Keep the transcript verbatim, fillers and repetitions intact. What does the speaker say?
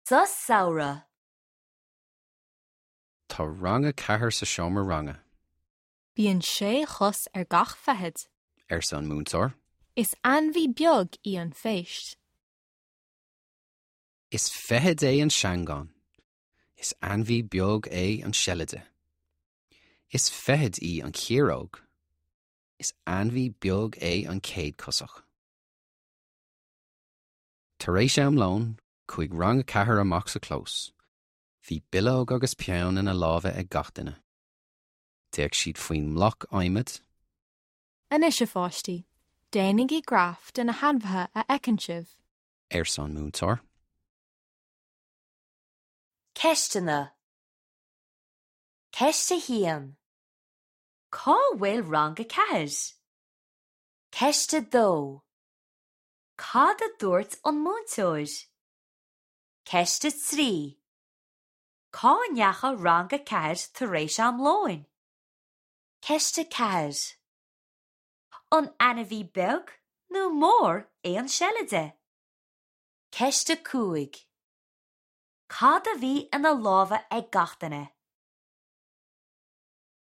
Sa samhradh. Tá rang a ceathair sa seomra ranga, Bíonn sé chos ar gach feithid. arsa an múinteoir. Is ainmhí beag í an phéist. Is feithid é an seangán. Is ainmhí beag é an seilide. Is feithid í an chiaróg. Is ainmhí beag é an céadchosach. Tar éis am lóin, chuaigh rang a ceathair amach sa chlós. Bhí bileog agus peann ina lámha ag gach duine. D'fhéach siad faoin mbloc adhmaid, Anois a pháistí, déanaigí graf de na hainmhithe a fheiceann sibh. arsa an múinteoir. Ceisteanna. Ceist a haon. Cá bhfuil rang a ceathair? Ceist a dó. Cad a dúirt an múinteoir? Ceist a trí. Cá ndeachaigh rang a ceathair tar éis am lóin? Ceist a ceathair. An ainmhí beag nó mór é an seilide? Ceist a cúig. Cad a bhí ina lámha ag gach duine?